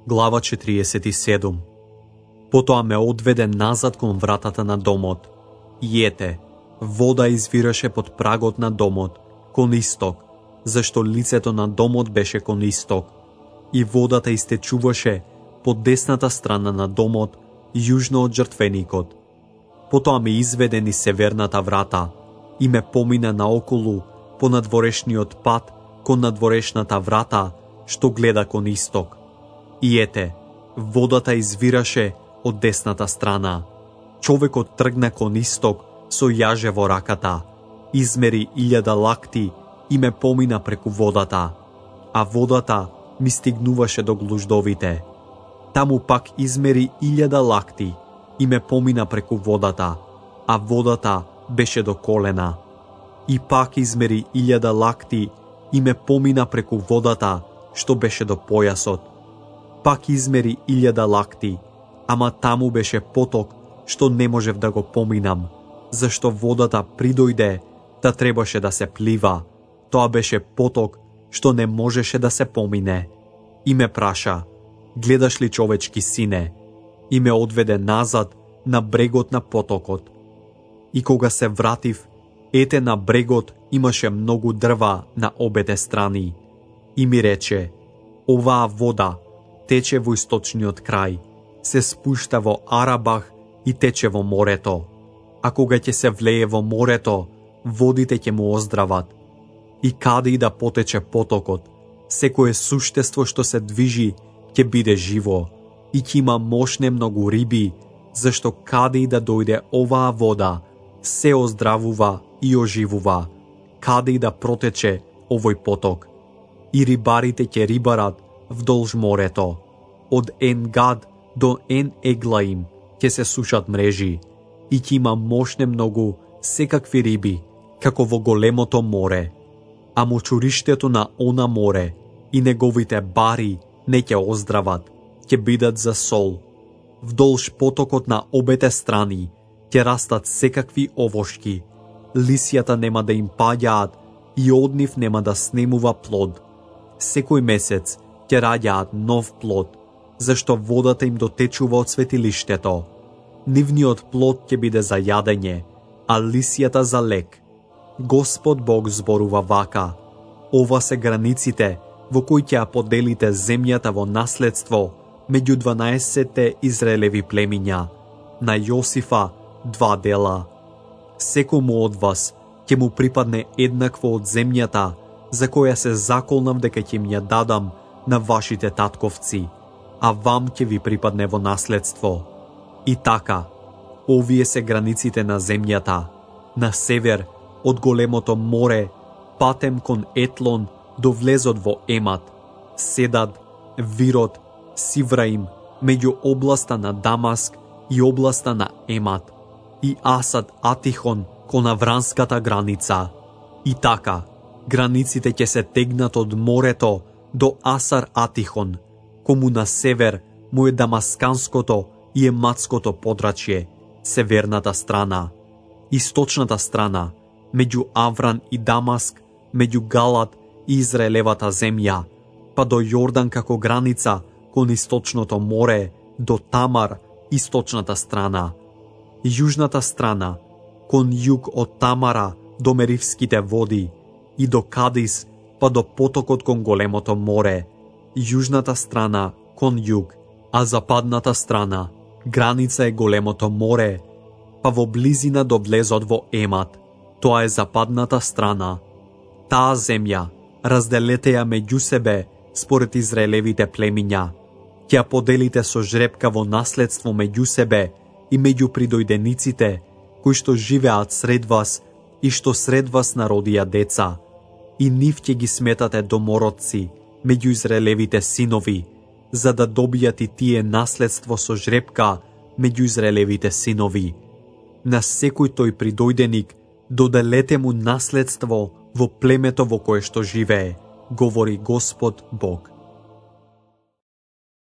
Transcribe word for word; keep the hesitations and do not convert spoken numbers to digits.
Глава четириесет и седум. Потоа ме одведе назад кон вратата на домот. И ете, вода извираше под прагот на домот, кон исток, зашто лицето на домот беше кон исток. И водата истечуваше по десната страна на домот, јужно од жртвеникот. Потоа ме изведе низ северната врата и ме помина наоколу по надворешниот пат кон надворешната врата, што гледа кон исток. И ете, водата извираше од десната страна. Човекот тргна кон исток со јаже во раката, измери илјада лакти и ме помина преку водата, а водата ми стигнуваше до глуждовите. Таму пак измери илјада лакти и ме помина преку водата, а водата беше до колена. И пак измери илјада лакти и ме помина преку водата, што беше до појасот. Пак измери илјада лакти, ама таму беше поток, што не можев да го поминам, зашто водата придојде да требаше да се плива. Тоа беше поток, што не можеше да се помине. И ме праша, гледаш ли, човечки сине? И ме одведе назад на брегот на потокот. И кога се вратив, ете на брегот имаше многу дрва на обете страни. И ми рече, оваа вода тече во источниот крај, се спушта во Арабах и тече во морето. А кога ќе се влее во морето, водите ќе му оздрават. И каде и да потече потокот, секое суштество што се движи ќе биде живо и ќе има мошне многу риби, зашто каде и да дојде оваа вода, се оздравува и оживува, каде и да протече овој поток. И рибарите ќе рибарат вдолж морето. Од Ен-Гад до Ен-Еглаим ќе се сушат мрежи и ќе има мошне многу секакви риби, како во големото море. А мочуриштето на она море и неговите бари не ќе оздрават, ќе бидат за сол. Вдолж потокот на обете страни ќе растат секакви овошки. Лисјата нема да им паѓаат и од нив нема да снемува плод. Секој месец ќе раѓаат нов плод, зашто водата им дотечува од светилиштето. Нивниот плод ќе биде за јадење, а лисјата за лек. Господ Бог зборува вака: ова се границите во кои ќе ја поделите земјата во наследство меѓу дванаесетте Израелеви племиња. На Јосифа два дела. Секому од вас ќе му припадне еднакво од земјата, за која се заколнав дека ќе им ја дадам на вашите татковци, а вам ќе ви припадне во наследство. И така, овие се границите на земјата. На север, од големото море, патем кон Етлон до влезот во Емат, Седад, Вирот, Сивраим, меѓу областа на Дамаск и областа на Емат, и Асад Атихон кон авранската граница. И така, границите ќе се тегнат од морето до Асар Атихон, кому на север му е Дамасканското и Ематското подрачје, северната страна. Источната страна, меѓу Авран и Дамаск, меѓу Галат и Израелевата земја, па до Јордан како граница кон источното море, до Тамар, источната страна. Јужната страна, кон југ од Тамара до Меривските води, и до Кадис, па до потокот кон големото море. Јужната страна кон југ, а западната страна, граница е големото море, па во близина до влезот во Емат. Тоа е западната страна. Таа земја разделете ја меѓу себе според Израелевите племиња. Ќе ја поделите со жребка во наследство меѓу себе и меѓу придојдениците кои што живеат сред вас и што сред вас народија деца. И нив ќе ги сметате домородци меѓу Израелевите синови, за да добијат и тие наследство со жребка меѓу Израелевите синови. На секој тој придојденик доделете му наследство во племето во кое што живее, говори Господ Бог.